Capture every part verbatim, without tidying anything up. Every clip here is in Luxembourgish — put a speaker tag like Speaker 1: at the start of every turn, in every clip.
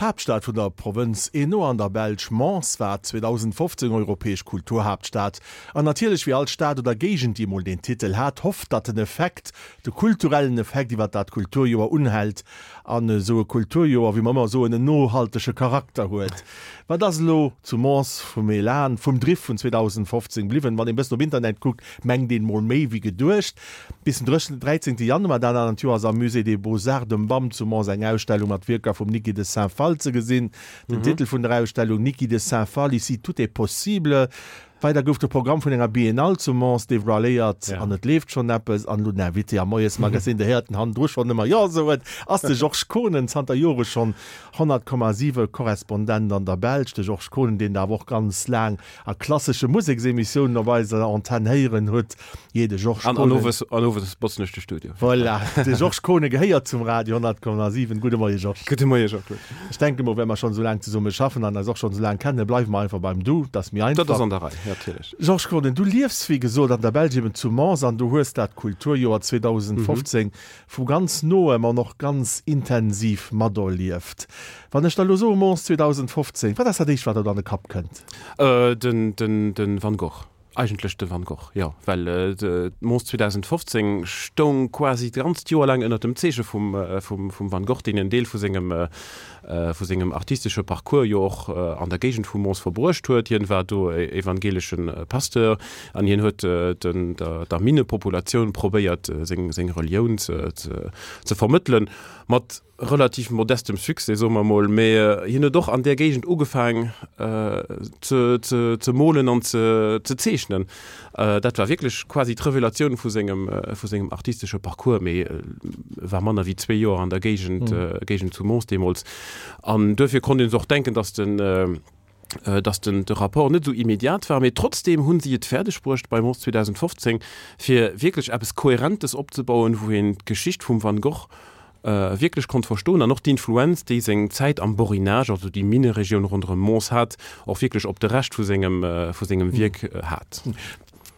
Speaker 1: D'Haaptstad vun der Provënz Hainaut an der Belsch, Mons, war zweedausendfofzéng europäesch Kulturhaaptstad. An natierlech, wéi all Stad oder Géigend, déi emol deen Titel hat, hofft, datt den Effekt, de kulturellen Effekt iwwer dat Kulturjoer unhält an esou e Kulturjoer, wéi mer ëmmer soen, en nohaltege Charakter huet. Wat ass elo zu Mons vum Elan, vum Driff vun zweedausendfofzéng bliwwen? Wann een e bëssen op Internet kuckt, mengt een mol méi wéi geduecht. Bis den dräizéngte Januar dat anert Joer ass am Musée des Beaux-Arts, dem BAM zu Mons, eng Ausstellung mat Wierker vum Niki de Saint-Phalle ze gesinn. Den Titel vun der Ausstellung, Niki de Saint-Phalle, ici tout est possible. Weider gouf de Programm vun enger Biennale zu Mons devoiléiert an et leeft schonn eppes. An elo den Invité am Moiesmagazin, Dir héiert en hannendru schonn ëmmer Jo soen, ass de Georges Kohnen, zanter Jore schonn honnert Komma siwe Korrespondent an der Belsch. De Georges Kohnen, deen Der awer och ganz laang a klassesche Museksemissiounen op eiser Antenn héieren hutt. Jee, de Georges
Speaker 2: An, an Kohnen. owes, an owes botzen ech de Studio.
Speaker 1: Voilà, de Georges Kohnen gehéiert zum Radio honnert Komma siwen. Gudde Moie Georges.
Speaker 2: Gudde Moie Jean-Claude.
Speaker 1: Ech denke mol, well mer schonn esou laang zesumme schaffen an eis och schonn esou laang kennen, bleiwe mer einfach beim Du, dat ass méi
Speaker 2: Dat ass
Speaker 1: einfach.
Speaker 2: an der Rei, natierlech.
Speaker 1: Georges Kohnen, du liefs wéi gesot an der Belsch, eben zu Mons, an du hues dat Kulturjoer zweedausendfofzéng vu ganz noem an och ganz intensiv materlieft. Wann ech der elo soe Mons zweedausendfofzéng, wat ass dat éischt wat der an de Kapp kënnt?
Speaker 2: Äh, den, den, den Van Gogh. Eigentlech de Van Gogh, jo, well Mons zweedausendfofzéng stoung quasi d'ganzt Joer laang ënnert dem Zeeche vum, vum, vum Van Gogh, deen en Deel vu sengem, vu sengem artistesche Parcours jo och an der Géigend vu Mons verbruecht huet. Hien war do evangelesche Pasteur an hien huet den, der, der Minnepopulatioun probéiert, seng, seng Relioun ze, ze, ze vermëttelen, mat relativ modestem Succès, soe mer mol, mee hien huet och an där Géigend ugefaang ze, ze, ze molen an ze, ze zeechnen. Dat war wierklech quasi d'Revelatioun vu sengem, vu sengem artistesche Parcours, mee war manner wéi zwee Joer an der Géigend, Géigend zu Mons deemools. An duerfir konnt een sech och denken, datt den, datt den, de Rapport net esou immediat war, mee trotzdeem hu si et fäerdeg bruecht bei Mons zweedausendfofzéng, fir wierklech eppes Kohärentes opzebauen, wou een d'Geschicht vum Van Gogh wierklech konnt verstoen an och d'Influenz, déi seng Zäit am Borinage, also déi Minneregioun ronderëm Mons hat, och wierklech op de Rescht vu sengem, vu sengem Wierk hat.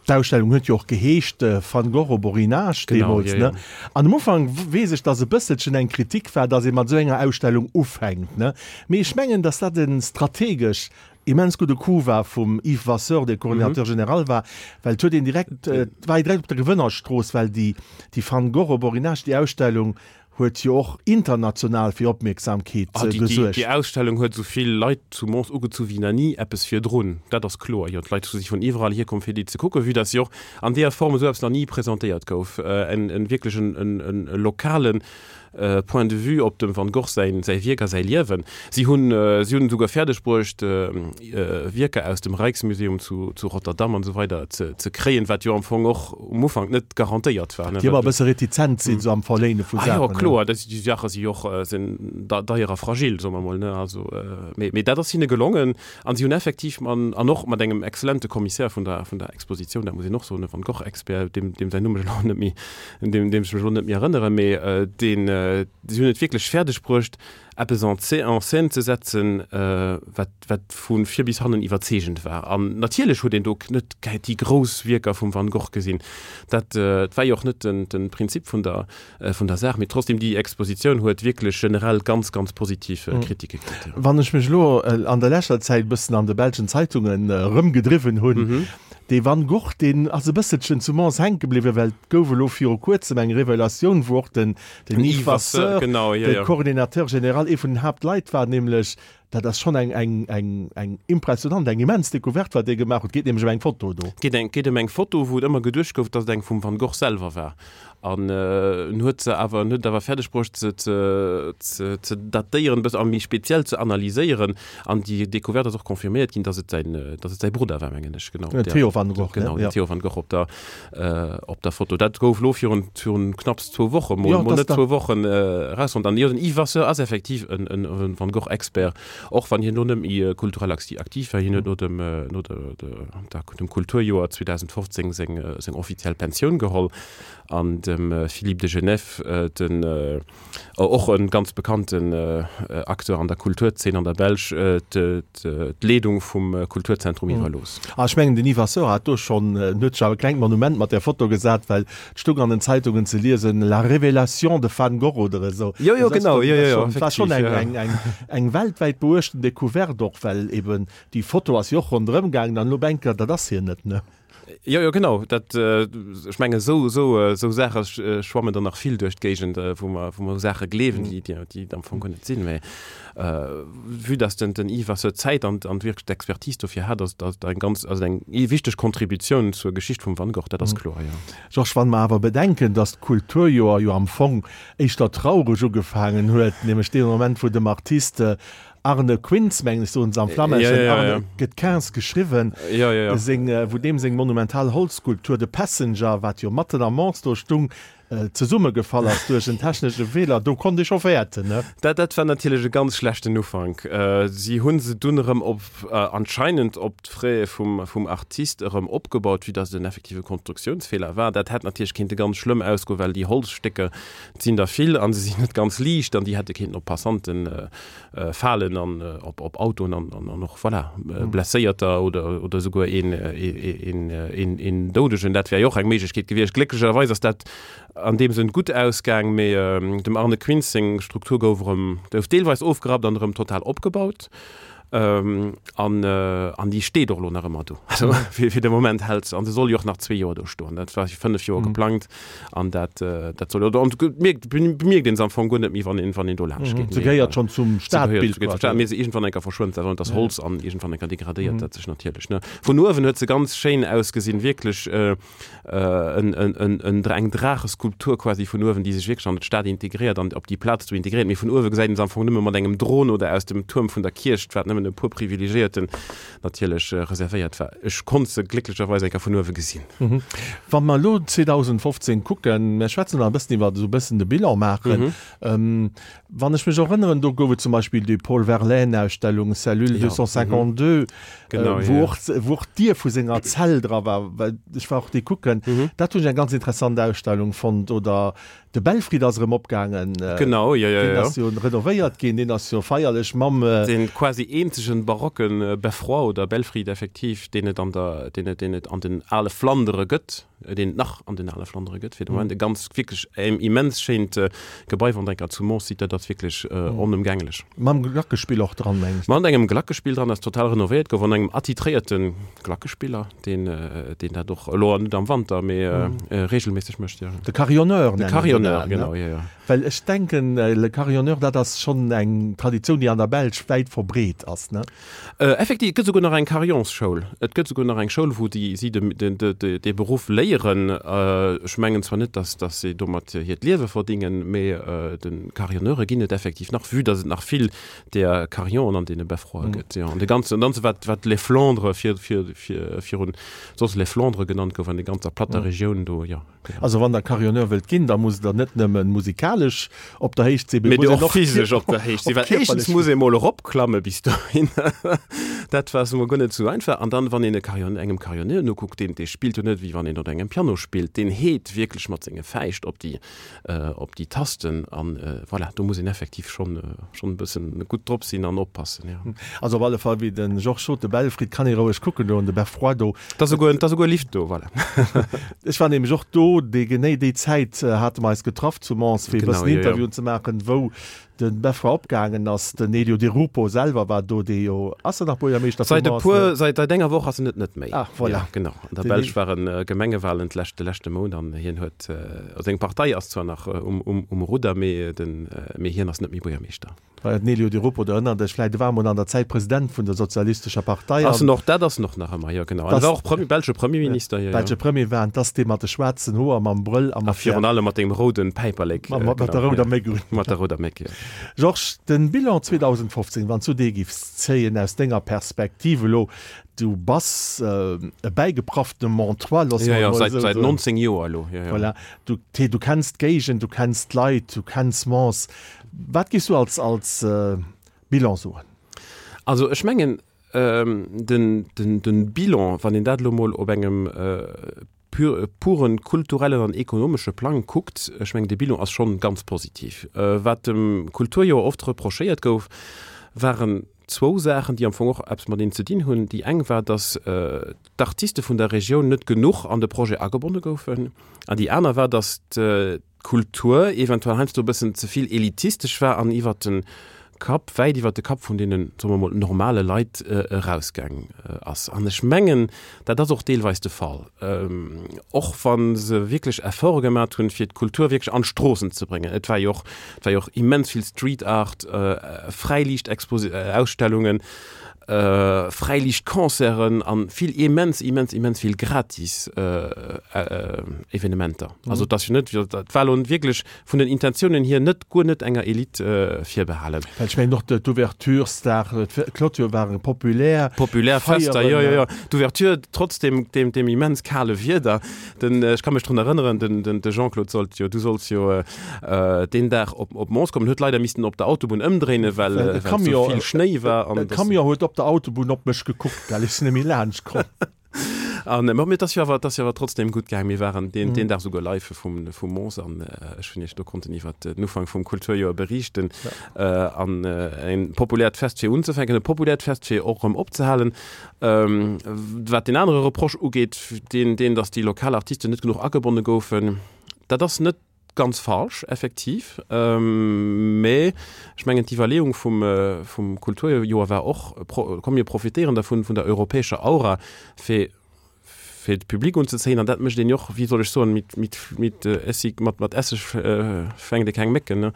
Speaker 1: D'Ausstellung huet jo och geheescht Van Gogh au Borinage deemools, ne? An am Ufank weess ech, dass e bësselchen eng Kritik war, dass ee mat esou enger Ausstellung ufänkt, ne? Mee ech mengen, dass dat e strategesch immens gudde Coup war vum Yves Vasseur, dee Coordinateur général war, well et huet een direkt, et war ee direkt op der Gewënnerstrooss, well déi, déi Van Gogh au Borinage, déi Ausstellung huet jo och international fir Opmierksamkeet gesuergt.
Speaker 2: Déi Ausstellung huet esou vill Leit zu Mons ugezu wéi nach ni eppes virdrun. Dat ass kloer. Jo, d'Leit si vun iwwerall hierkomm fir déi ze kucken, vue dass se och an deeër Form esou eppes nach ni presentéiert gouf. En wierklech en lokalen Point de vue op dem Van Gogh säin säi Wierk a säi Liewen. Si hunn si hunn esouguer fäerdeg bruecht Wierker aus dem Rijksmuseum zu zu Rotterdam an esou weider ze ze kréien, wat jo am Fong och um Ufank net garantéiert war, ne.
Speaker 1: Déi ëmmer e bësse retizent sinn esou am Verléine vu
Speaker 2: Saachen. Ah jo, kloer, dat déi Saache si jo och sinn deier a fragil, soe mer mol, ne. Also mee mee dat ass hinne gelongen an si hunn effektiv an an och mat engem exzellente Commissaire vun der vun der Expositioun, dat muss een och soen, e Van Gogh-Expert, deem deem säin Numm ech elo net méi un deem ech mech elo net méi erënneren, mee deen, si hunn et wierklech fäerdeg bruecht, eppes en en scène ze setzen, wat, wat vu vir bis hannen iwwerzeegend war. An natierlech huet een do net déi grouss Wierker vum Van Gogh gesinn. Dat war jo och net den, de Prinzip vun der, vun der Saach. Mee trotzdem, déi Expositioun huet wierklech generell ganz, ganz positiv Kritike kritt.
Speaker 1: Wann ech mech elo an der leschter Zäit e bëssen an de belschen Zeitungen erëmgedriwwen hunn, Dee Van Gogh, deen ass e bësselchen zu Mons hänke bliwwen, well et gouf elo viru kuerzem eng Revelatioun, wou och den Yves Vasseur, de Coordinateur général, ee vun den Haaptleit war, nämlech, dat ass schonn eng, eng, eng, eng impressionant, eng immens Decouverte, wat dee gemaach huet. Et geet nämlech ëm eng Foto do.
Speaker 2: Et geet eng, geet ëm eng Foto, wou et ëmmer geduecht gouf, datt et eng vum Van Gogh selwer war. An en huet se awer, en huet et awer fäerdeg bruecht, se ze, ze, ze datéieren, e bësse a méi speziell ze analyséieren. An déi Decouverte ass och confirméiert ginn, datt et säin, datt et säi Brudder war, mengen ech, genau.
Speaker 1: Den Theo van Gogh, ne?
Speaker 2: Genau, den Theo van Gogh op der, op der Foto. Dat gouf elo virun, virun knapps zwou Woche mol, mol net zwou Wochen, erausfonnt. An jo, den Yves Vasseur ass effektiv en, en Van Gogh-Expert. Och wann hien elo net méi kulturell aktiv war, hien huet no dem, no dem Kulturjoer zweedausendfofzéng seng, seng offiziell Pensioun geholl an dem Philippe de Genève, den och e ganz bekannten Acteur an der Kulturzeen an der Belsch, d'Leedung vum Kulturzentrum iwwerlooss.
Speaker 1: Ah, ech mengen den Yves Vasseur hat do schonn, en huet sech awer e klengt Monument mat där Foto gesat, well et stoung an den Zeitungen ze liesen, La révélation de Van Gogh oder esou.
Speaker 2: Jo, jo, genau, jo, jo, jo,
Speaker 1: effektiv. War schonn eng, eng, eng weltwäit beuechten Decouverte och, well eben déi Foto ass jo och ronderëm gaangen an elo op eng Kéier, dat ass hien net, ne?
Speaker 2: Jo, jo, genau. Dat, ech mengen, esou, esou, esou Saache schwammen der nach vill duerch d'Géigend, wou mer, wou mer u Saache gleewen, déi, déi, déi am Fong guer net sinn. Mä vue dass den, den Yves Vasseur d'Zäit an, an wierklech d'Expertise dofir hat, ass dat eng ganz, also eng wichteg Kontributioun zur Geschicht vum Van Gogh, dat ass kloer, jo.
Speaker 1: Georges, wann mer awer bedenken, dass d'Kulturjoer jo am Fong éischter traureg ugefaangen huet, nämlech dee Moment, wou dem Artist Arne Quinz, mengen ech, soen se am Flammeschen,
Speaker 2: Ja, ja, ja.
Speaker 1: Arne gëtt Quinz geschriwwen,
Speaker 2: Ja, ja, ja.
Speaker 1: seng, wou deem seng monumental Holzskulptur The Passenger, wat jo matten am Mons do stung, zesummegefall ass duerch en technesche Feeler, do konnt ee scho fäerten, ne?
Speaker 2: Dat, dat war natierlech e ganz schlechten Ufank. Si hu se dunn erëm op, anscheinend op d'Frais vum, vum Artist erëm opgebaut, vue dass et en effektive Konstruktiounsfeeler war. Dat hätt natierlech kéinte ganz schlëmm ausgoen, well déi Holzstécker, et sinn der vill a se sinn net ganz liicht an déi hätte kéinten op Passanten falen an op, op Autoen an, an, an och, voilà, Blesséierter oder, oder esouguer een, een, een, een Doudegen. Dat wär jo och eng Méiglechkeet gewiescht. Glécklecherweis ass dat an deem Sënn gutt ausgaang, mee dem Arne Quinz seng Struktur gouf erëm, gouf deelweis ofgerappt an erëm total opgebaut. An, an déi steet och elo nach ëmmer do. Also fir, fir de Moment hält se. An se soll jo och nach zwee Joer do stoen. Dat war fir fënnef Joer geplangt an dat, dat soll jo do. An et mierkt, bemierkt een se am Fong guer net méi, wann een, wann een do laanscht geet.
Speaker 1: Se gehéiert schonn zum Stadbild
Speaker 2: quasi. Mee se iergendwann eng Kéier verschwënnt se awer. Et ass Holz an iergendwann eng Kéier degradéiert dat sech natierlech, ne. Vun uewen huet se ganz schéin ausgesinn, wierklech. Eng Draacheskulptur quasi vun uewen, déi sech wierklech an d'Stad integréiert an op déi Plaz do integréiert. Mee vun uewe gesäit een se am Fong nëmme mat engem Dron oder aus dem Tuerm vun der Kierch, wat nëmmen e puer Privilegiéierten natierlech reservéiert war. Ech konnt se glécklecherweis eng Kéier vun uewe gesinn.
Speaker 1: Wa mer elo zweedausendfofzéng kucken, mir schwätzen nach e bëssen iwwer esou e bëssen de Bilan maachen, wann ech mech erënneren, do gouf et zum Beispill déi Paul Verlaine-Ausstellung Cellule deux cent cinquante-deux, wou och, wou och d'Dier vu senger Zell dra war, well ech war och déi kucken. Dat hunn ech eng ganz interessant Ausstellung fonnt. Oder de Belfried ass erëm opgaangen.
Speaker 2: Genau, jo, jo, jo.
Speaker 1: Deen ass jo renovéiert ginn, deen ass jo feierlech mam.
Speaker 2: Dee quasi eenzegen barocken Beffroi oder Belfried effektiv, deen et an der, deen et, deen et an den ale Flandere gëtt. deen et nach an den ale Flandere gëtt, fir de Moment e ganz wierklech immens schéint Gebai, wann Der eng Kéier zu Mons sidd, dat ass wierklech onëmgänglech.
Speaker 1: Mam Glackespill och dran, meng
Speaker 2: ech. Mat engem Glackespill dran, dat total renovéiert gouf, an engem attitréierte Glackespiller, deen, deen dat och elo net am Wanter, mee reegelméisseg mécht, jo.
Speaker 1: De Carillonneur
Speaker 2: nennen se dat, ne? De Carillonneur, genau, jo, jo.
Speaker 1: Well ech denken, le Carillonneur, dat ass schonn eng Traditioun, déi an der Belsch wäit verbreet ass, ne?
Speaker 2: Effektiv, et gëtt esouguer nach eng Carillonsschoul. Et gëtt esouguer nach eng Schoul, wou déi, si de, de, dee Beruff léieren. Ech mengen zwar net, dass, dass si domat hiert Liewe verdingen, mee de Carillonneure ginn et effektiv nach, vue dass et nach vill där Carillonen an deene Beffroie gëtt. Jo, an de ganzen, an dann wat, wat les Flandres vir, vir, vir, virun soss les Flandres genannt gouf, an der ganzer platter Regioun do, jo.
Speaker 1: Also wann der Carillonneur wëllt ginn, da musst der net nëmmen musikalesch op der Héicht sinn,
Speaker 2: mee muss och physesch op der Héicht sinn, well éischtens muss ee mol eropklamme bis dohin, dat war emol guer net esou einfach. An dann, wann een e Carillon, engem Carillonneur nokuckt, deen, dee spillt jo net wéi wann een op engem Piano spillt, deen heet wierklech mat senge Fäischt op déi, op déi Tasten an voilà, do muss een effektiv schonn, schonn e bëssen gutt drop sinn an oppassen, jo.
Speaker 1: Also op alle Fall, wéi de Georges sot, de Belfried kann ee roueg kucken do an de Beffroi do.
Speaker 2: Et ass esouguer, et ass esouguer e Lift do, voilà.
Speaker 1: Ech war nämlech och do, déi genee déi Zäit hate mer eis getraff zu Mons, fir e bëssen Interviewen ze maachen, wou de Beffroi opgaangen ass. Den Elio Di Rupo selwer war do, dee jo, ass en nach Buergermeeschter
Speaker 2: vu Mons? Säit e puer, säit enger Woch ass en et net méi.
Speaker 1: Ah, voilà.
Speaker 2: Jo, genau. An der Belsch ware Gemengewalen d'lescht, de leschte Mount an hien huet, seng Partei ass zwar nach um, um, um Rudder, mee den, mee hien ass net méi Buergermeeschter.
Speaker 1: Den Elio Di Rupo, der erënnert Iech vläicht, e war emol an der Zäit President vun der sozialistescher Partei.
Speaker 2: Ass en och, dat ass en och nach ëmmer, jo genau. An e war och Premier, belsche Premierminister, jo, jo.
Speaker 1: Belsche Premier war en, 't ass dee mat de schwaarzen Hoer, mam Brëll
Speaker 2: a mat der. A virun allem mat dengem rouden Päiperlek.
Speaker 1: Mat der rouder Méck un.
Speaker 2: Mat der rouder Méck, jo.
Speaker 1: Georges, den Bilan zweedausendfofzéng, wann s du dee giffs zéien aus denger Perspektiv elo, du bass e bäigeprafftene Montois, loosse mer
Speaker 2: emol
Speaker 1: esou soen.
Speaker 2: Jo, jo, säit nonzéng Joer elo, jo, jo.
Speaker 1: Voilà, du, du kenns d'Géigend, du kenns d'Leit, du kenns Mons. Wat giffs du als, als Bilan soen?
Speaker 2: Also ech mengen, den, den, den Bilan, wann een dat elo mol op engem pur, puren kulturellen an ekonomesche Plang kuckt, ech mengen, de Bilan ass schonn ganz positiv. Wat dem Kulturjoer oft reprochéiert gouf, waren zwou Saachen, déi am Fong och eppes mateneen ze dinn hunn. Déi eng war, datt d'Artiste vun der Regioun net genuch an de Projet agebonne goufen. An déi aner war, datt d'Kultur eventuell heiansdo e bëssen ze vill elitistesch war an iwwert de Kapp, wäit iwwert de Kapp vun deenen, soe mer mol, normale Leit erausgaang ass. An ech mengen, dat ass och deelweis de Fall, och wa se wierklech Efforte gemat hunn, fir d'Kultur wierklech an d'Stroossen ze bréngen. Et war jo och, et war jo och immens vill Street Art, Fräiliicht-Exposi-, Ausstellungen, Fräiliichtconcerten a vill, immens, immens, immens vill gratis Evenementer. Also et ass jo net, et war elo wierklech vun den Intentiounen hier net, guer net enger Elite virbehalen.
Speaker 1: Well ech mengen och d'Ouverturesdag, d'Clôture ware populär.
Speaker 2: Populär Fester, jo, jo, jo. D'Ouverture trotz deem, deem, deem immens kale Wieder. Den, ech ka mech drun erënneren, den, den, de Jean-Claude sollt jo, du sollts jo deen Dag op, op Mons kommen, huet leider missten op der Autobunn ëmdréinen, well, well esou vill Schnéi war
Speaker 1: an. E Camion huet op der Autobunn op mech gekuckt, well ech sinn net méi laanscht komm.
Speaker 2: An ma mir, et ass jo awer, et ass jo awer trotzdem gutt gaang. Mir waren deen, deen Dag souguer live vum, vum Mons an ech hunn Iech do konnten iwwer den Ufank vum Kulturjoer beriichten. An en populäert Fest fir unzefänken, e populäert Fest fir och erëm opzehalen. Wat deen anere Reproche ugeet, deen, deen, datt déi lokal Artisten net genuch agebonne goufen, dat ass net ganz falsch, effektiv. Mä ech mengen, d'Iwwerleeung vum, vum Kulturjoer war och, komm mir profitéieren dervun, vun der europäescher Aura, fir, fir de Public unzezéien. An dat mécht een jo och, wéi soll ech soen, mit, mit, mit Essig, mat, mat Esseg fänkt ee keng Mécken, ne?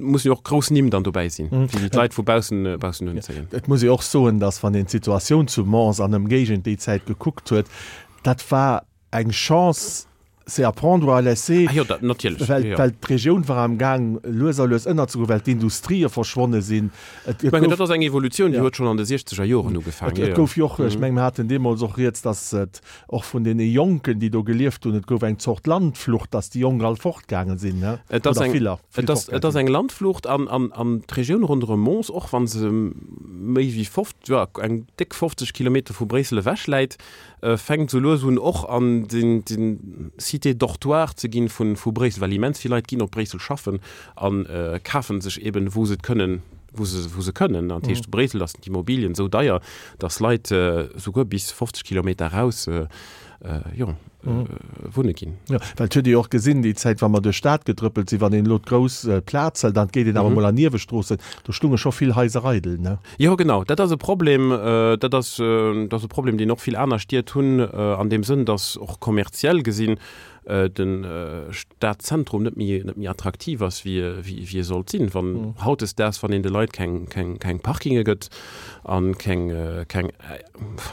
Speaker 2: Mussen jo och grouss Nimm dann dobäi sinn, fir déi d'Leit vu baussen, baussen unzéien.
Speaker 1: Et muss ee och soen, datt wann een d'Situatioun zu Mons an Ëmgéigend déi Zäit gekuckt huet, dat war eng Chance, c'est à prendre ou à laisser,
Speaker 2: ah jo, dat natierlech,
Speaker 1: well,
Speaker 2: jo, jo.
Speaker 1: well d'Regioun war am Gaang lues a lues ënnerzegoen, well d'Industrië verschwonne sinn.
Speaker 2: Et, et gouf, dat ass eng Evolutioun, déi huet schonn an de siechzeger Joren ugefaangen.
Speaker 1: Et, et gouf jo och, ech meng, mir haten deemools och rieds, datt et och vun deene Jonken, déi do gelieft hunn, et gouf eng Zort Landflucht, datt déi Jonk all fortgaange sinn, ne?
Speaker 2: Et ass
Speaker 1: Oder
Speaker 2: eng,
Speaker 1: viller, vill
Speaker 2: et ass,
Speaker 1: fortgaange
Speaker 2: et ass
Speaker 1: sinn.
Speaker 2: eng Landflucht an, an, an d'Regioun ronderëm Mons, och wa se méi wéi fofft, jo, eng déck fofzeg Kilometer vu Bréissel ewech läit, fänkt sou lues un och an den den Cité dortoir ze ginn vun vu Bréissel, well immens vill Leit ginn op Bréissel schaffen an kafen sech eben wou se et kënnen, wou se wou se kënnen. An dat heescht zu Bréissel ass d'Immobilien esou deier, datt Leit souguer bis fofzeg Kilometer eraus jo wunne ginn.
Speaker 1: Jo, well et huet ee jo och gesinn, déi Zäit, wa mer duerch d'Stad gedrëppelt sinn, wann een elo d'grouss Plaz hëlt an et geet een awer emol an Niewestroossen, do stunge scho vill Haiser eidel, ne?
Speaker 2: Jo, genau, dat ass e Problem. Dat ass, dat ass e Problem, deen och vill aner Stied hunn, an deem Sënn, datt och kommerziell gesinn de Stadzentrum net méi, net méi attraktiv ass, wéi, wéi e sollt sinn. Wann hautdesdaags, wann een de Leit keng, keng, keng Parkinge gëtt an keng, keng,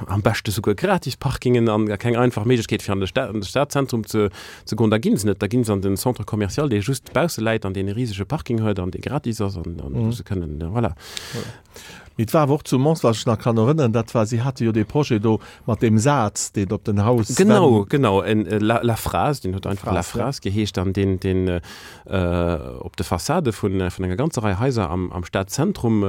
Speaker 2: am beschte souguer gratis Parkingen an keng einfach Méiglechkeet fir an de Stad, an de Stadzentrum ze, ze goen, da ginn se net, da ginn se an den Centre commercial, dee just bausse läit an deen e risege Parking huet an dee gratis ass an, an wou se kënnen, voilà.
Speaker 1: Mee et war awer och zu Mons, wat ech nach kann erënneren, dat war, si hate jo dee Projet do mat deem Saz, deen op den Haus.
Speaker 2: Genau, genau, en La, La Phrase, deen huet einfach La Phrase geheescht an deen, deen op de Fassade vun, vun enger ganzer Rei Haiser am, am Stadzentrum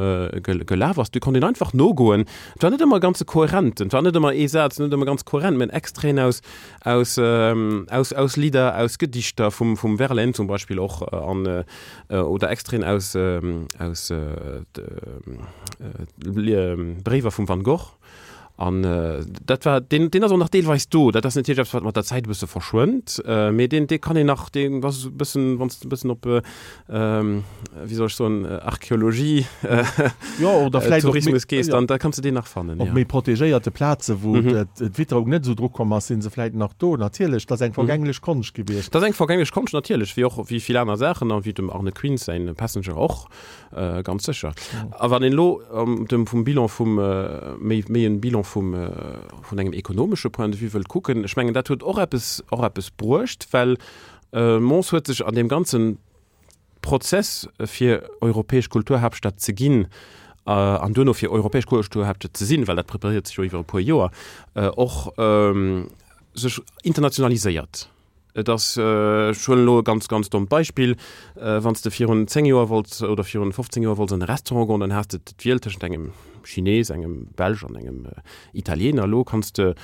Speaker 2: gelaf ass. Do konnt een einfach nogoen. Et war net ëmmer ganz kohärent, et war net ëmmer ee Saz, net ëmmer ganz kohärent, mä Extraiten aus, aus, aus, aus Lidder, aus Gedichter vum, vum Verlaine zum Beispill och an, oder Extraiten aus, aus Bréiwer vum Van Gogh. An dat war, deen, deen ass och nach deelweis do. Dat ass natierlech eppes, wat mat der Zäit e bësse verschwënnt, mee deen, dee kann een nach, deen ass e bëssen, wann s de e bëssen op, wéi soll ech soen, Archäologie,
Speaker 1: Jo, oder vläicht och méi,
Speaker 2: Tourismus gees,
Speaker 1: jo,
Speaker 2: dann da kanns de deen nach fannen,
Speaker 1: op
Speaker 2: jo.
Speaker 1: méi protegéierte Plaze wou d'Witterung net esou drukomm ass, si se vläicht nach do. Natierlech, dat ass eng vergänglech Konscht gewiescht.
Speaker 2: Dat ass eng vergänglech Konscht, natierlech, wéi och wéi vill aner Saachen a wéi dem Arne Quinz säin Passenger och. Ganz sécher. A wann een elo dem vum Bilan vum, méi méi en Bilan vum vun engem ekonomesche Point de vue wëllt kucken, ech mengen dat huet och eppes och eppes bruecht, well Mons huet sech an deem ganze Prozess fir europäesch Kulturhaaptstad ze ginn an duerno fir europäesch Kulturhaaptstad ze sinn, well dat preparéiert sech jo iwwer e puer Joer, och sech internationaliséiert. Et ass, ech huelen elo e ganz, ganz dommt Beispill, Wann s de virun zéng Joer wollts oder virun fofzéng Joer wollts an e Restaurant goen, dann has de d'Wiel tëschent engem Chines, engem Belsch an engem Italiener. Elo kanns de,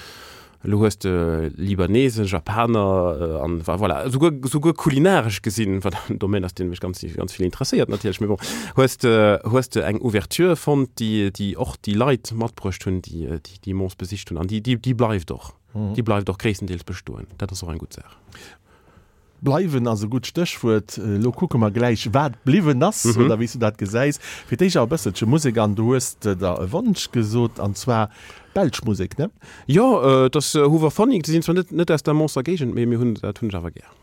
Speaker 2: elo hues de Libanesen, Japaner an voilà, esouguer, esouguer kulinaresch gesinn, wat en Domaine ass, dee mech ganz, ganz vill interesséiert natierlech, mee bon, hues de, hues de eng Ouverture fonnt, déi, déi och déi Leit matbruecht hunn, déi, déi Mons besicht hunn an déi, déi, déi bleift och. Déi bleift och gréisstendeels bestoen. Dat ass och eng gutt Saach.
Speaker 1: Bleiwen ass e gutt Stéchwuert. Elo kucke mer gläich, wat bliwwen ass oder wéi s du dat gesäis. Fir d'éischt awer e bësselche Musek an du hues der e Wonsch gesot, an zwar belsch Musek, ne?
Speaker 2: Jo, et ass Hooverphonic. Déi sinn zwar net net aus der Monser Géigend, mee mir hunn dat hunn ech awer gär.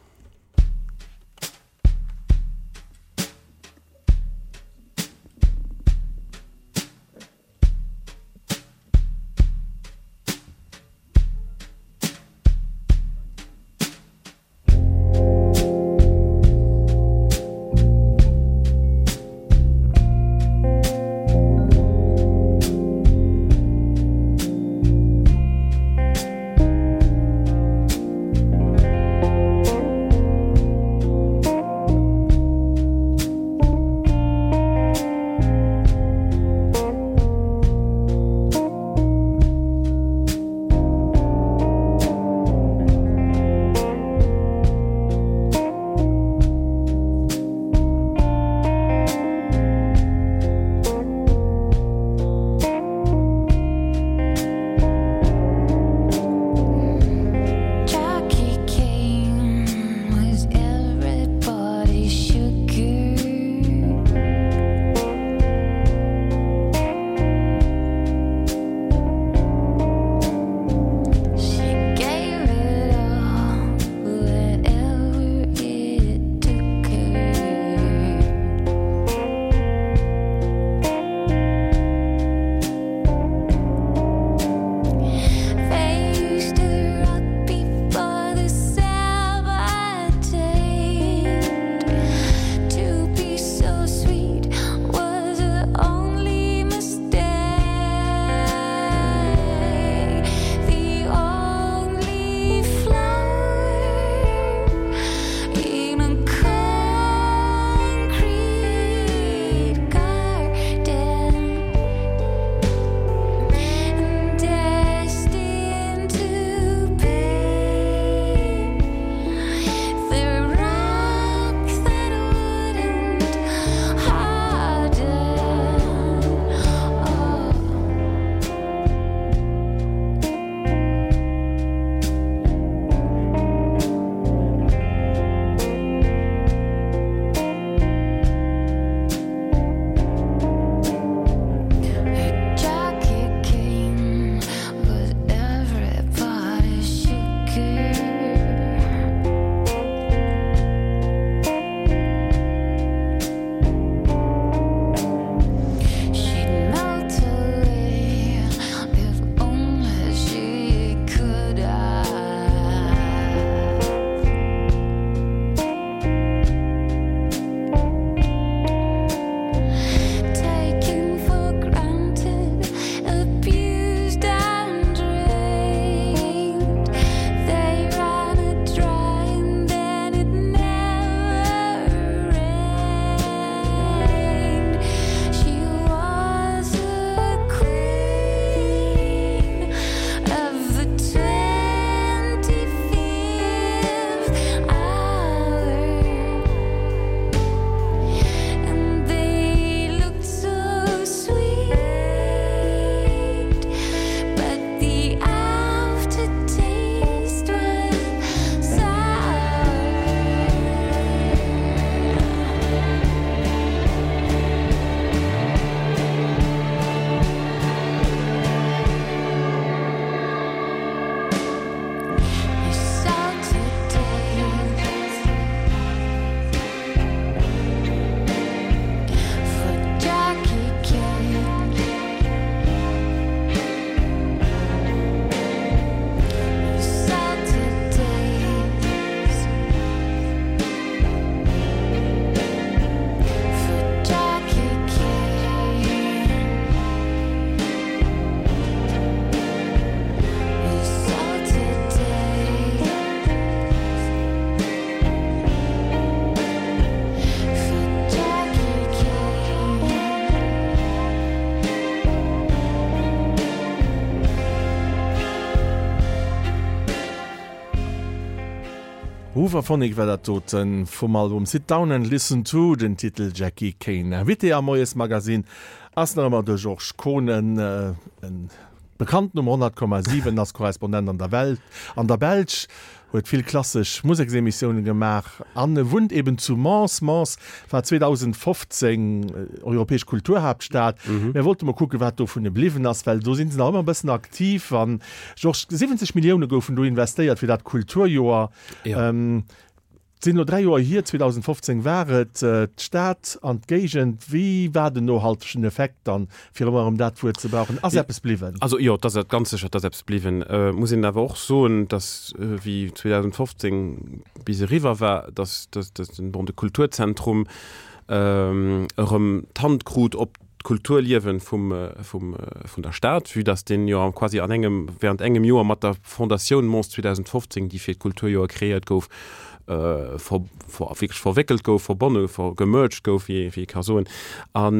Speaker 1: Hooverphonic war dat doten vum Album Sit Down and Listen To, den Titel Jackie Kane. Invité am Moiesmagazin ass nach ëmmer de Georges Kohnen, en Bekannten um honnert Komma siwen, ass Korrespondent an der Welt, an der Belsch, huet vill klassesch Museksemissiounen gemaach an e wunnt eben zu Mons. Mons war zweedausendfofzéng europäesch Kulturhaaptstad. Mir wollte mol kucken, wat dovun bliwwen ass, well do si se nach ëmmer e bëssen aktiv. An Georges, siwwenzeg Millioune goufen do investéiert fir dat Kulturjoer.
Speaker 2: Ja.
Speaker 1: Et sinn elo dräi Joer hier, zweedausendfofzéng war et, d'Stad an d'Géigend, wéi war den nohaltegen Effekt dann, fir ëmmer erëm dat Wuert ze brauchen? Ass eppes bliwwen?
Speaker 2: Also jo, et ass ganz sécher, et ass eppes bliwwen. Et muss een awer och soen, datt wéi zweedausendfofzéng bis eriwwer war, datt den, bon, de Kulturzentrum erëm d'Hand krut op d'Kulturliewen vum, vum, vun der Stad, vue dass deen jo quasi an engem, während engem Joer mat der Fondatioun Mons zweedausendfofzéng, déi fir d'Kulturjoer kreéiert gouf, ver, ver, wierklech verwéckelt gouf, verbonne, ver, gemerged gouf, wéi, wéi ee ka soen. An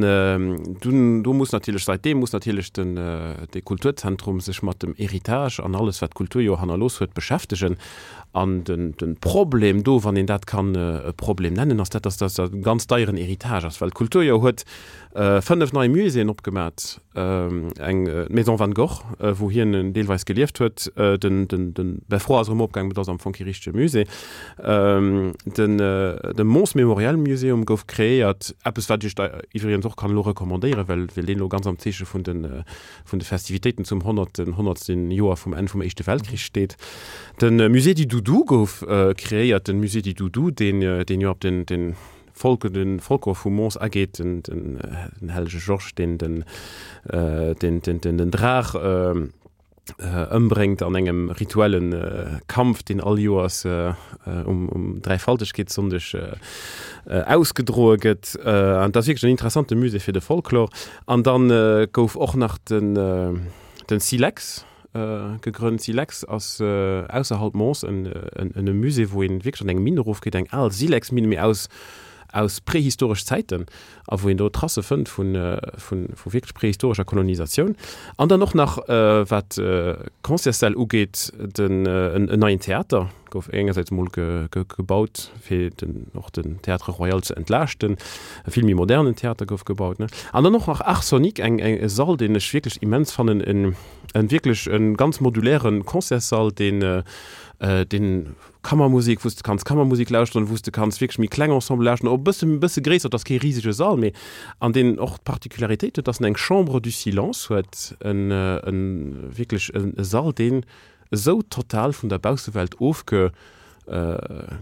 Speaker 2: dunn, do muss natierlech, säitdeem muss natierlech den, de Kulturzentrum sech mat dem Héritage an alles, wat d'Kulturjoer hannerlooss huet, beschäftegen. An den, den Problem do, wann een dat kann e Problem nennen, ass dat, dass dat e ganz deieren Héritage ass, well d'Kulturjoer huet fënnef nei Muséeën opgemat, eng, d'Maison Van Gogh, wou hien deelweis gelieft huet, den, den, den Beffroi ass erëm opgaangen, mee dat ass am Fong kee richtege Musée, den, de Mons Memorial Museum gouf kreéiert, eppes wat ech der iwwregens och kann elo recommandéieren, well, well deen elo ganz am Zeeche vun den, vun de Festivitéiten zum honnerten, honnertsten Joer vum Enn vum Éischte Weltkrich steet. De Musée du Doudou gouf kreéiert, den Musée du Doudou, deen, deen jo op den, den Folk, den Folklor vu Mons ageet, den, den, den hellege Georges, deen den, den, den, den, den Draach ëmbréngt an engem rituellen Kampf, deen all Joers um, um Dräifaltegkeetssonndeg ausgedroe gëtt. An dat ass wierklech en interessante Musée fir de Folklor. An dann gouf och nach den, den Silex gegrënnt. Silex ass ausserhalb Mons en, en, en Musée, wou een wierklech an eng Minn erofgeet, eng al Silexminn, mee aus, aus prehistoresch Zäiten, a wou een do Tracë fënnt vu vu wierklech prehistorescher Kolonisatioun. An dann och nach, wat d'Concertssäll ugeet, den en neien Theater gouf engersäits emol gebaut, fir den och den Théâtre Royal ze entlaaschten. E vill méi modernen Theater gouf gebaut, ne. An dann och nach Art-Sonique, eng eng e Sall, deen ech wierklech immens fannen, en en wierklech e ganz moduläre Concertssall, deen deen Kammermusik, wou s de kanns Kammermusik lauschteren, wou s de kanns wierklech méi kleng Ensemble lauschteren, och e bësse, bësse gréisser, et ass kee risege Sall, mee an deen och d'Particularitéit huet, dass en eng Chambre du silence huet, en, en wierklech en e Sall, deen esou total vun der Baussewelt ofge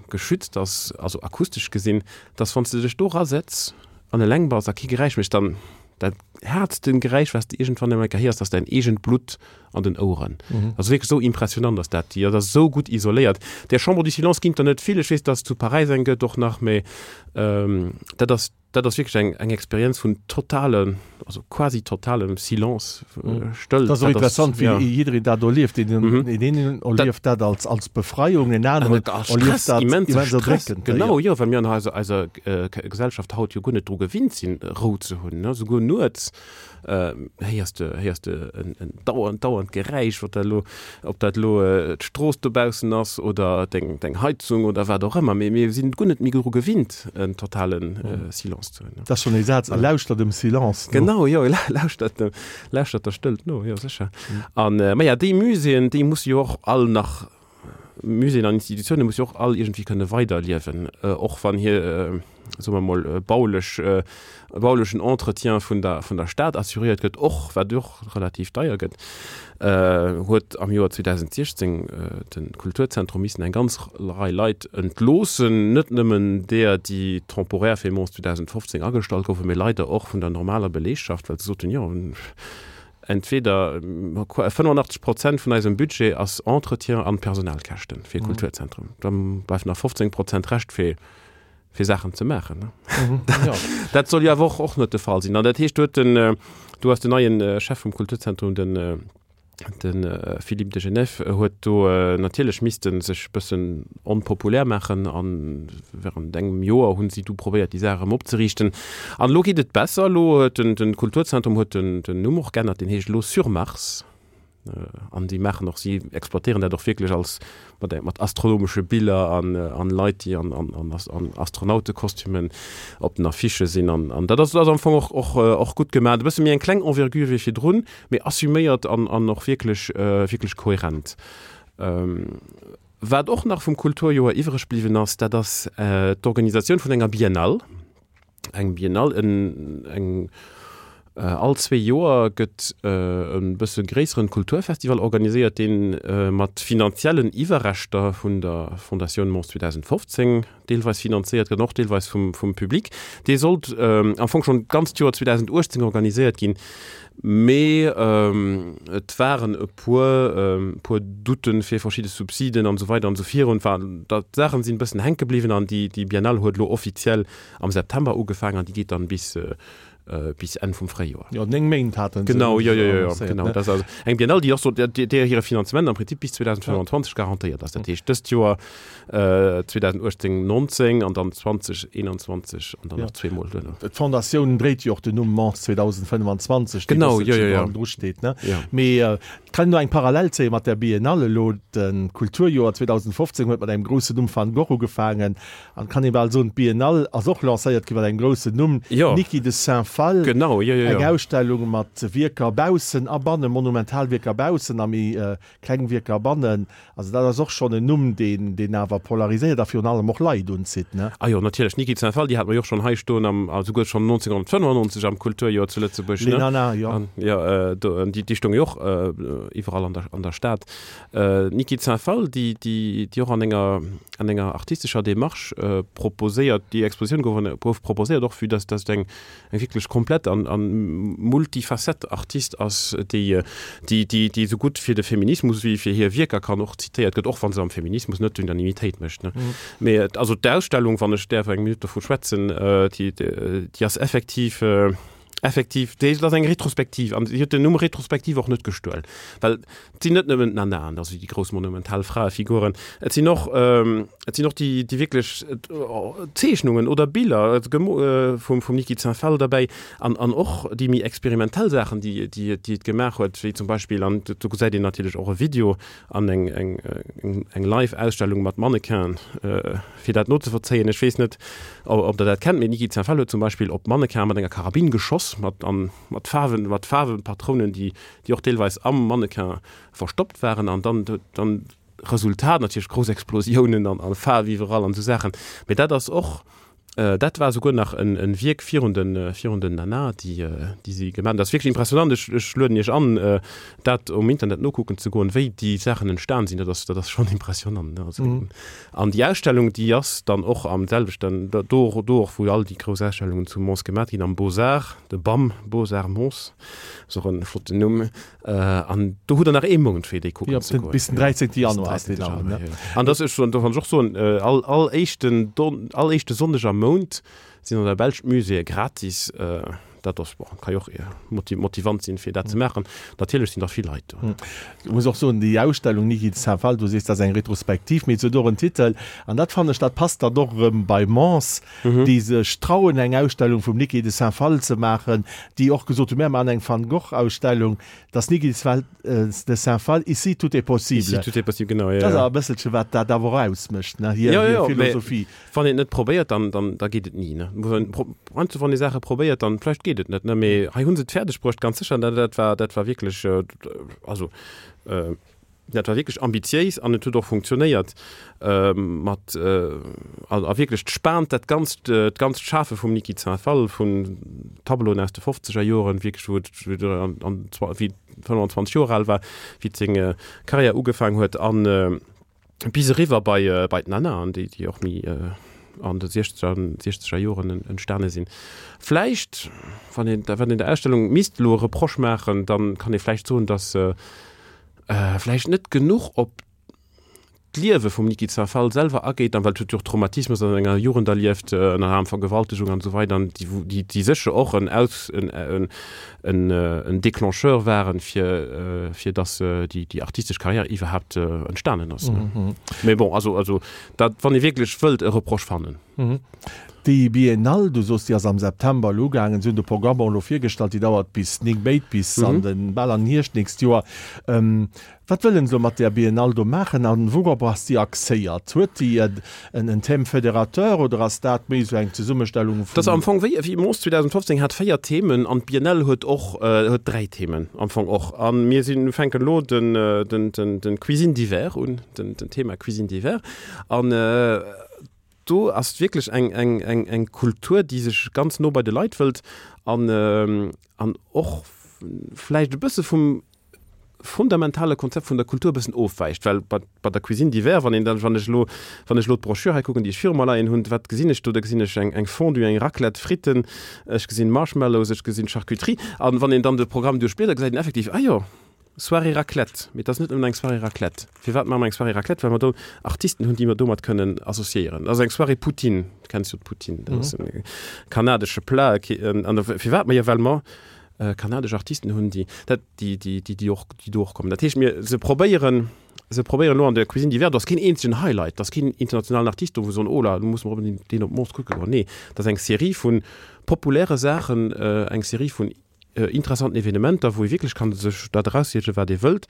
Speaker 2: geschützt ass, also akustesch gesinn, dass wann s de dech do erasetz an eleng bass a kee Geräisch méchs, dann dat haartsten Geräisch, wat s de iergendwann eng Kéier héiers, ass däin eegent Blutt an den Oueren. Also wierklech esou impressionant ass dat. Déi ass esou gutt isoléiert. Där Chambre du silence ginn et der net vill. Ech weess, dass et zu Paräis eng gëtt och nach, mä dat ass, dat ass wierklech eng, eng Experienz vun totale, also quasi totalem Silence, Stëllt.
Speaker 1: Dat ass och interessant, wéi jiddereen dat erlieft. Deen een erlieft dat als, als Befreiung, en aneren erlieft dat immens erdréckend.
Speaker 2: Genau, jo, well mir an eiser, eiser Gesellschaft haut jo guer net dru gewinnt sinn, Rou ze hunn, ne, souguer nuets héiers de, héiers de en, en dauernd, dauernd Geräisch, wat dat elo, ob dat elo d'Strooss dobaussen ass oder deng, deng Heizung oder wat och ëmmer, mee mir sinn guer net méi dru gewinnt, en totalen Silence ze hunn.
Speaker 1: Dat ass schonn ee Saz, e lauschtert dem Silence
Speaker 2: no. Genau, jo, e lauschtert dem, lauschtert der Stëllt no, jo, sécher. An, maja, déi Muséeën, déi musse jo och all nach, Muséeën an Institutioune musse jo och all iergendwéi kënne weiderliewen, och wann hir, soe mer emol, baulech, baulechen Entretien vun der, vun der Stad assuréiert gëtt, och, wat och relativ deier gëtt, huet am Joer zweedausendsechzéng de Kulturzentrum missen eng ganz Rei Leit entloossen, net nëmmen deeër, déi temporär fir Mons zweedausendfofzéng agestallt goufen, mee leider och vun der normaler Beleegschaft, well se soten, jo, entweder fënnefenachtzeg Prozent vun eisem Budget ass Entretien an Personalkäschten fir Kulturzentrum, da bleift nach fofzéng Prozent Rescht fir fir Saachen ze maachen. Mhm, ja. Dat soll jo awer och, och net de Fall sinn. An dat heescht, do huet den, do ass den neien Chef vum Kulturzentrum, den, den Philippe de Genève, huet do natierlech misste sech bëssen onpopulär maachen an während engem Joer hunn si du probéiert, déi Saach erëm opzeriichten. An elo geet et besser. Elo huet den, den Kulturzentrum huet den, den Numm och geännert, deen heescht elo Sur Mars. An déi maachen och, si exploitéieren dat och wierklech als mat mat astronomesche Biller an an Leit, déi an an an an Astronautekostümen op den Affichë sinn. An an dat ass dat ass am Fong och och och gutt gemaach. E bësse méi eng kleng Envergure wéi virdrun, mee assuméiert an an och wierklech wierklech kohärent. Wat och nach vum Kulturjoer iwwreg bliwwen ass, dat ass d'Organisatioun vun enger Biennale. Eng Biennale, en eng all zwee Joer gëtt e bësse gréisseren Kulturfestival organiséiert, dee mat finanziellen Iwwerreschter vun der Fondatioun Mons zweedausendfofzéng deelweis finanzéiert gëtt an och deelweis vum vum Public. Dee sollt am Fong schonn d'ganzt Joer zweedausendachtzéng organiséiert ginn, mee et waren e puer puer Douten fir verschidde Subsiden an esou weider an esou virun. Enfin, d'Saachen sinn e bëssen hänke bliwwen an déi déi Biennale huet elo offiziell am September ugefaangen an déi geet dann bis bis Enn vum Fréijoer.
Speaker 1: Jo, néng Méint haten
Speaker 2: se Genau, jo, jo, jo, jo, annoncéiert, genau. ne? Dat ass also eng Biennale, déi och so, där, där hire Finanzement am Prinzip bis zweedausendfënnwanzwanzeg garantéiert ass. Dat heescht, dëst Joer zweedausendachtzéng, nonzéng an dann zwanzeg eenanzwanzeg an dann
Speaker 1: Ja.
Speaker 2: nach zweemol duerno.
Speaker 1: D'Fondatioun dréit jo och den Numm Mons zweedausendfënnwanzwanzeg,
Speaker 2: dee Genau, jo, jo, jo.
Speaker 1: dru steet, ne?
Speaker 2: Jo.
Speaker 1: Mee et kann een do eng Parallel zéie mat der Biennale elo. De Kulturjoer zweedausendfofzéng huet mat engem groussen Numm Van Gogh ugefaangen. An kann ee bal soen, d'Biennale ass och lancéiert gi mat engem groussen Numm,
Speaker 2: Jo.
Speaker 1: Niki de Saint Phalle.
Speaker 2: Genau, jo, jo,
Speaker 1: Eng
Speaker 2: jo.
Speaker 1: Ausstellung mat Wierker baussen a bannen, monumental Wierker baussen a méi kleng Wierker bannen. Also dat ass och schonn en Numm, deen, deen awer polariséiert a virun allem och Leit unzitt, ne?
Speaker 2: Ah jo, natierlech, Niki de Saint Phalle, déi hate mer jo och schonn hei stoen am, a souguer schonn nonzénghonnertfënnefannonzeg am Kulturjoer zu Lëtzebuerg,
Speaker 1: Les
Speaker 2: ne?
Speaker 1: Nanas, jo.
Speaker 2: An, jo, do, déi, déi stoung jo och iwwerall an der, an der Stad. D'Niki de Saint Phalle, déi, déi, déi och an enger, an enger artistescher Démarche proposéiert, déi Expositioun gouf, gouf proposéiert och, vue dass, dass et eng, eng wierklech komplett an, an multifacette Artist ass, déi, déi, déi, déi esou gutt fir de Feminismus wéi fir hir Wierker kann och zitéiert gëtt, och wa se am Feminismus net d'Unanimitéit mécht, ne. Mee also d'Ausstellung, wann ech däerf eng Minutt dovu schwätzen, déi, déi ass effektiv, Effektiv, déi ass eng Retrospektiv an si huet den Numm Retrospektiv och net gestuel, well et sinn net nëmmen d'Nanaen, also déi grouss monumental Fraefiguren, et sinn och, et sinn och déi, déi wierklech Zeechnungen oder Biller vum, vum Niki de Saint Phalle derbäi an, an och déi méi experimentell Saachen, déi, déi, déi et gemaach huet, wéi zum Beispill, an do gesäit een natierlech och e Video an eng, eng, eng Live-Ausstellung mat Mannequinen, fir dat nozevollzéien. Ech weess net, ob Der dat kennt, mee d'Niki de Saint Phalle huet zum Beispill op Mannequin mat enger Karabinn geschoss, mat, an, mat Faarwen, mat Faarwenpatrounen, déi, déi och deelweis am Mannequin verstoppt waren. An dann, dann Resultat natierlech grouss Explosiounen an, an Faarf iwwerall an esou Saachen. Mee dat ass och, Dat war souguer nach en Wierk virun den virun den Nana, déi déi si gemaach hunn. Dat ass wierklech impressionant. Ech ech lueden Iech an, dat um Internet nokucken ze goen, wéi déi Saachen entstan sinn. Dat ass dat ass schonn impressionant, ne? Also an déi Ausstellung, déi ass dann och am selwechten do do och wou all déi grouss Ausstellungen zu Mons gemaach ginn, am Beaux-Arts, de BAM, Beaux-Arts Mons, ass och en flotten Numm. An do hutt Der nach ee Mount fir déi kucken
Speaker 1: ze goen. Bis den dräizéngte Januar ass deen awer, ne?
Speaker 2: An dass ech, do kann ech och soen, all, all éischten Don, all éischte Sonndeg am Mount sinn an der Belsch d'Muséeë gratis. Dat ass, bon, ka jo och motivant sinn, fir dat ze maachen. Natierlech sinn der vill Leit do.
Speaker 1: Ech muss och soen, déi Ausstellung Niki de Saint Phalle, du sees, dat ass eng Retrospektiv, mee se huet och en Titel, an dat fannen ech, dat passt dann och erëm bei Mons, déi sech trauen, eng Ausstellung vum Niki de Saint Phalle ze maachen, déi och gesot hunn, mär maachen eng Van Gogh-Ausstellung. Dass Niki de Saint Phalle, ici tout est possible.
Speaker 2: Ici tout est possible, genau,
Speaker 1: jo, jo. Dat ass awer e bësselche wat dat awer och ausmécht, ne, hir, hir Philosophie.
Speaker 2: Jo, jo, mee wann een et net probéiert, dann, dann, da geet et ni, ne. Heiansdo wann ee Saache probéiert, dann vläicht geet et net, ne, mee hei hu se et fäerdeg bruecht, ganz sécher, dat, dat war, dat war wierklech, also, Dat war wierklech ambitiéis an et huet och funktionéiert mat a wierklech d'spaant dat ganzt d'ganzt Schafe vum Niki de Saint Phalle, vun Tableauen aus de fofzeger Joren, wierklech wou et wéi an wéi fënnwanzwanzeg Joer al war, wéi et seng Karriär ugefaang huet an bis eriwwer bei bei d'Nanaen, déi déi och méi an de siechzeger siechzeger Joren entstane sinn. Vläicht wann een wann een der Ausstellung misst elo e Reproche maachen, dann kann ee vläicht soen, datt se vläicht net genuch op d'Liewe vum Niki de Saint Phalle selwer ageet, an well et huet jo och Traumatismes an enger Jugend erlieft, ënner anerem Vergewaltegung an esou weider, an déi, déi, déi sécher och en Aus, en, en, en, en Déclencheur waren, fir, fir datt déi, déi artistesch Karriär iwwerhaapt entstanen ass. Mee bon, also, also dat, wann ee wierklech wëllt e Reproche fannen.
Speaker 1: Déi Biennale, du soos, déi ass am September elo ugaangen, si hunn de Programm och elo virgestallt, déi dauert bis néng Méint, bis an den, bal an den Hierscht d'nächst Joer. Wat wëllen se elo mat där Biennale do maachen an wourop ass déi axéiert? Huet déi en en Thème fédérateur oder ass dat méi esou eng Zesummestellung
Speaker 2: vun. Dat ass am Fong wéi wéi Mons zweedausendfofzéng hat véier Themen an d'Biennale huet och huet dräi Themen am Fong och. A mir sinn fänken elo den den den den Cuisine d'hiver un, den den Thema Cuisine d'hiver an do ass wierklech eng eng eng eng Kultur déi sech ganz no bei de Leit wëllt an an och vläicht e bësse vum fundamentale Konzept vun der Kultur e bëssen ofwäicht, well bei, bei der Cuisine d'hiver, wann een dann, wann ech elo, wann ech elo d'Broschür hei kucken, déi ech viru mer leien hunn, wat gesinn ech do? Da gesinn ech eng, eng Fondue, eng Raclette, Fritten, ech gesinn Marshmallows, ech gesinn Charcuterie. An wann een dann de Programm duerchbliedert, gesäit een effektiv, ah jo, Soirée Raclette. Mee et ass net nëmmen eng Soirée Raclette. Firwat maache mer eng Soirée Raclette? Well mer do Artisten hunn, déi mer domat kënnen associéieren. Dat ass eng Soirée Poutine, du kenns jo d'Poutine, dat ass e kanadesche Plat. An firwat? Ma jo, well mer kanadesch Artisten hunn, déi dat, déi, déi, déi, déi och, déi do och kommen. Dat heescht, mir, se probéieren, se probéieren elo an der Cuisine d'hiver, do ass keen eenzegen Highlight, do ass keen internationalen Artist do, wou se soen, oh là, do musse mer onbedéngt deen op Mons kucke goen. Nee, dat ass eng Serie vu populäre Saachen, eng Serie vun interessanten Evenementer, wou ee wierklech kann sech dat eraussichen, wat ee wëllt.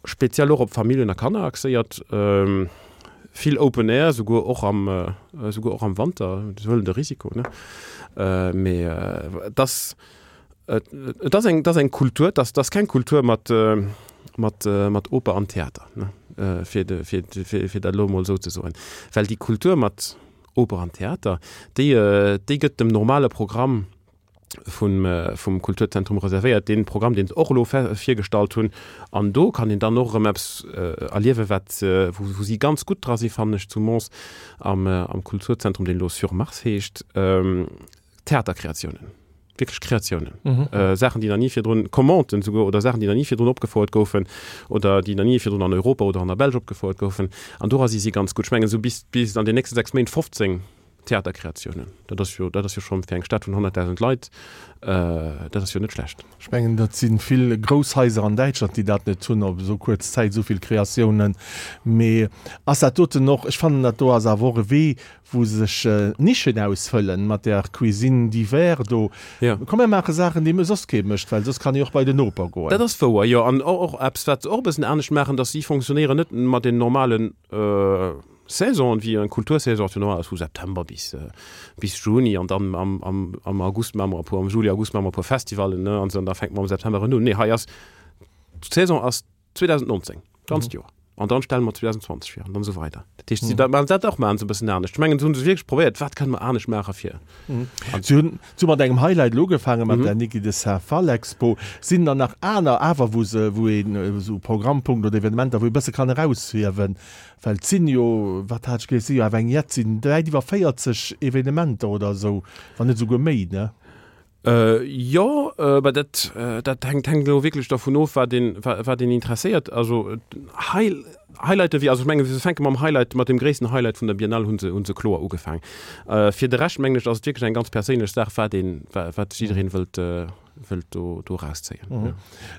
Speaker 2: Speziell och op Familljen a Kanner axéiert. Vill Open Air, souguer och am, souguer och am Wanter. Se huelen de Risiko, ne? Mee et ass, et ass eng, et ass eng Kultur, et ass, et ass keng Kultur mat, mat, mat Oper an Theater, ne? Fir de, fir, fir, fir dat elo emol esou ze soen. Well déi Kultur mat Oper an Theater, déi, déi gëtt dem normale Programm vum, vum Kulturzentrum reservéiert, dee Programm, deen se och elo virgestallt hunn. An do kann een dann och erëm eppes erliewen, wat, wou, wou si ganz gutt dra sinn, fannen ech, zu Mons am, am Kulturzentrum, deen elo Sur Mars heescht, Theaterkreatiounen, wierklech Kreatiounen, Saachen, déi nach ni virdrun, Commanden souguer, oder Saachen, déi nach ni virdrun opgefouert goufen oder déi nach ni virdrun an Europa oder an der Belsch opgefouert goufen. An dora si si ganz gutt. Ech mengen, esou bis, bis an den nächste sechs Méint fofzéng Theaterkreatiounen, dat ass jo, dat ass jo schonn fir eng Stad vun honnertdausend Leit, dat ass jo net schlecht.
Speaker 1: Ech mengen, dat si vill grouss Haiser an Däitschland, déi dat net hunn, op esou kuerz Zäit esou vill Kreatiounen. Mee ass dat doten och, ech fannen, dat do ass awer och e Wee, wou sech Nischen ausfëllen mat där Cuisine d'hiver do. Komm mir maache Saachen, déi soss kee mécht, well soss kann ee och bei den Noper goen.
Speaker 2: Dat ass wouer, jo. An och eppes, wat se och e bëssen anescht maachen, dass si fonctionnéieren net mat den normalen Saison, wéi eng Kultursaison ass jo normal vu September bis bis Juni an dann am am am August maache mer e puer, am Juli, August maache mer e puer Festivallen, ne, an da fänke mer am September erëm un. Nee, hei ass d'Saison ass zweedausendnonzéng, d'ganzt Joer, an dann stelle mer zweedausendzwanzeg vir an dann esou weider. Dat heescht, si dat maachen dat och maachen se e bëssen anescht. Ech mengen, se hu se wierklech probéiert, wat kënne mer anescht maache fir.
Speaker 1: Si hunn si hu mat engem Highlight elo ugefaangen, mat der Niki de Saint Phalle Expo. Sinn der nach aner awer, wou se, wou een esou Programmpunkten oder Evenementer, wou ee bësse kann eraushiewen? Well et sinn jo, wat hat ech gelies, et si jo awer eng jett, et sinn wäit iwwer véierzeg Evenementer oder esou, wann net esouguer méi, ne?
Speaker 2: Jo, mä dat, dat hänkt, hänkt elo wierklech dervun of, wat een, wat een interesséiert. Also High, Highlighte wéi, also ech mengen, se fänke mam Highlight, mat deem gréissten Highlight vun der Biennale hu se, hu se kloer ugefaang. Fir de Rescht, mengen ech, ass et wierklech eng ganz perséinlech Saach, wat een, wat jiddereen wëllt, wëllt do, do erauszéien.
Speaker 1: Mhm.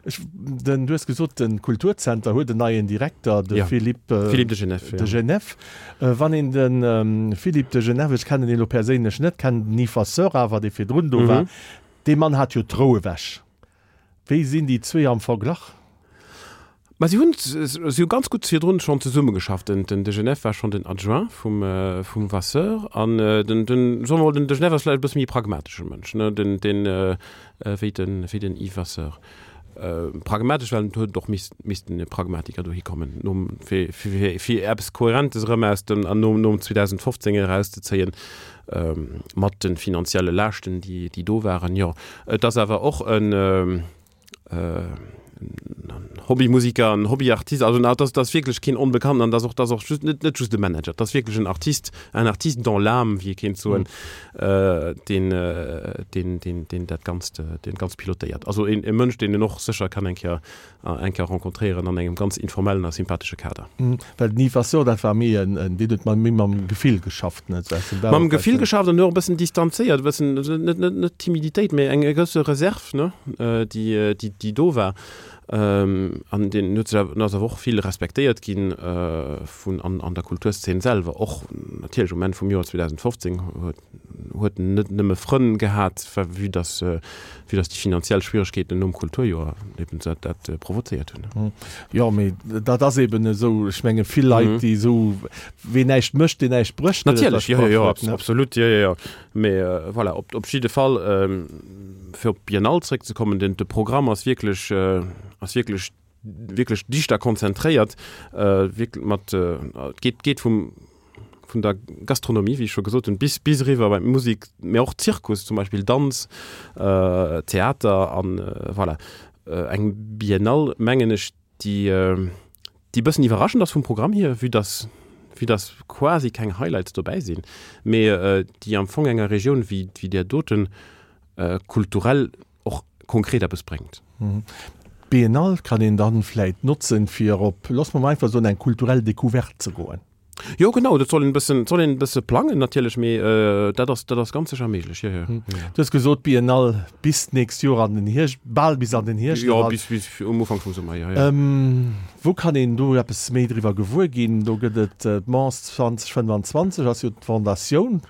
Speaker 1: Ech, den, du hues gesot, de Kulturzenter huet en neien Direkter, de ja. Philippe, äh,
Speaker 2: Philippe de Genève.
Speaker 1: De ja. Genève. Äh, wann een den ähm, Philippe de Genève, ech kennen deen elo perséinlech net, kennen den Yves Vasseur awer, dee virdrun do mhm. war, dee Mann hat jo d'Rou ewech. Wéi sinn déi zwee am Verglach?
Speaker 2: Ma si hunn, si hu ganz gutt virdrun schonn zesummegeschafft. Den, den de Genève war schonn den Adjoint vum, vum Vasseur an den, den, soe mer mol, den de Genève ass vläicht e bësse méi e pragmatesche Mënsch, ne, den, den, wéi den, wéi den Yves Vasseur. Pragmatesch, well et huet och misst, missten e Pragmatiker dohi kommen, nom, fir, fir, fir eppes Kohärentes erëm aus dem, an nom, nom zweedausendfofzéng erauszezéien, mat de finanzielle Laaschten, déi, déi do waren. Jo, et ass awer och en, Hobbymusiker, en Hobbyartist, also dat ass, dat ass wierklech keen Onbekannten an dat ass och, dat ass och just net, net just e Manager, dat ass wierklech en Artist, un artiste dans l'âme, wéi ee kéint soen, deen, deen, deen, deen dat Ganzt, deen Ganzt pilotéiert. Also een, e Mënsch, deen een och sécher kann eng Kéier, eng Kéier rencontréieren an engem ganz informellen a sympathesche Kader.
Speaker 1: Well den Yves Vasseur, dat war méi en, en, deen huet méi mam Gefill geschafft, net?
Speaker 2: Mam Gefill geschafft an och e bëssen distanzéiert, e bëssen, net, net, net Timiditéit, mä eng gewësse Reserve, ne, déi, déi, déi do war. An deen huet sech awer, ass awer och vill respektéiert ginn vun an an der Kulturszene selwer. Och natierlech um Enn vum Joer zweedausendfofzéng huet huet en net nëmme Frënn gehat, vue dass vue dass déi finanziell Schwieregkeeten nom Kulturjoer eben dat dat provozéiert hunn.
Speaker 1: Jo, mee dat ass eben esou, ech menge vill Leit, déi esou, ween näischt mécht, deen näischt brécht,
Speaker 2: gëtt et Natierlech, jo, jo, jo, absolut, jo, jo, jo. Mee voilà, op op jidde Fall, fir op d'Biennale zréckzekommen, den de Programm ass wierklech ass wierklech wierklech dicht a konzentréiert, wierk mat et geet geet vum vun der Gastronomie, wéi ech scho gesot hunn, bis bis eriwwer bei d'Musek, mee och Zirkus zum Beispill, Danz, Theater an voilà. Eng Biennale, mengen ech, déi déi e bëssen iwwerraschend ass vum Programm hier, vue dass vue dass quasi keng Highlights dobäi sinn, mee déi am Fong enger Regioun wéi wéi där doten kulturell och konkret eppes bréngt.
Speaker 1: D'Biennale kann een dann vläit notzen, fir op, loosse mer mol einfach soen, eng kulturell Decouverte ze goen.
Speaker 2: Jo genau, dat soll een e bëssen, soll een e bësse plangen natierlech, mee dat ass, dat ass ganz sécher méiglech, jo, jo, jo.
Speaker 1: Du hues gesot, Biennale bis d'nächst Joer an den Hierscht, bal bis an den Hierscht
Speaker 2: eran. Jo, bis, bis um Ufank vum Summer, jo, jo.
Speaker 1: Wou kann een do eppes méi driwwer gewuer ginn? Do gëtt et d'Mons zwanzeg fënnefanzwanzeg ass jo d'Fondatioun.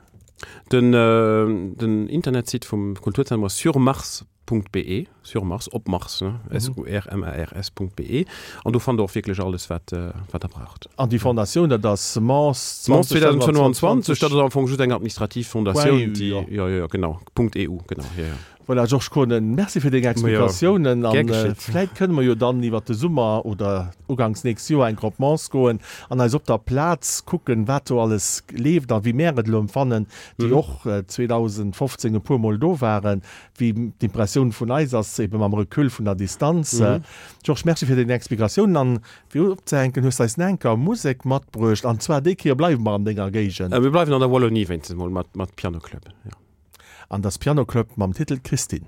Speaker 2: Den, den Internetsite vum Kulturzentrum ass surmars. .be, sur Mars, op Mars, ne, S U R M A R S Punkt B E, an do fannt der och wierklech alles, wat, wat der braucht.
Speaker 1: An déi Fondatioun, dat ass
Speaker 2: Mons Mons zweedausendfënnwanzwanzeg, dat ass am Fong just eng administrativ Fondatioun, déi, jo, jo, jo, genau, Punkt E U, genau, jo, jo.
Speaker 1: Voilà, Georges Kohnen, merci fir deng Explikatiounen. An vläit kënne mer jo dann iwwert de Summer oder uganks nächst Joer eng Kéier op Mons goen an eis op der Plaz kucken, wat do alles leeft a wéi mär et elo empfannen, déi och zweedausendfofzéng e puermol do waren, wéi d'Impressioun vun eis ass, ebe mam Recul vun der Distanz. Georges, merci fir deng Explikatiounen. An fir opzehänken, hues de eis nach eng Kéier Musek matbruecht, an zwar déi Kéier bleiwe mer an denger Géigend.
Speaker 2: Mir bleiwen an der Wallonie wéinstens emol mat Piano Club, jo.
Speaker 1: An das Piano Club mam Titel Christine.